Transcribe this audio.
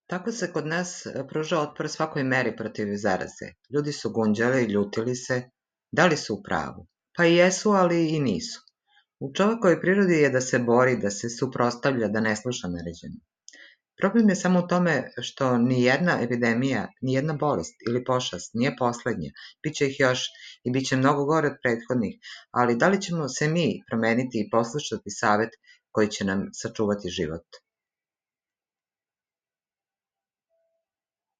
Tako se kod nas pruža otpor svakoj meri protiv zaraze. Ljudi su gunđali, ljutili se. Da li su u pravu? Pa i jesu, ali i nisu. U čovjekovoj prirodi je da se bori, da se suprotstavlja, da ne sluša naređenje. Problem je samo u tome što ni jedna epidemija, ni jedna bolest ili pošast nije poslednja. Biće ih još i bit će mnogo gore od prethodnih, ali da li ćemo se mi promeniti i poslušati savet koji će nam sačuvati život?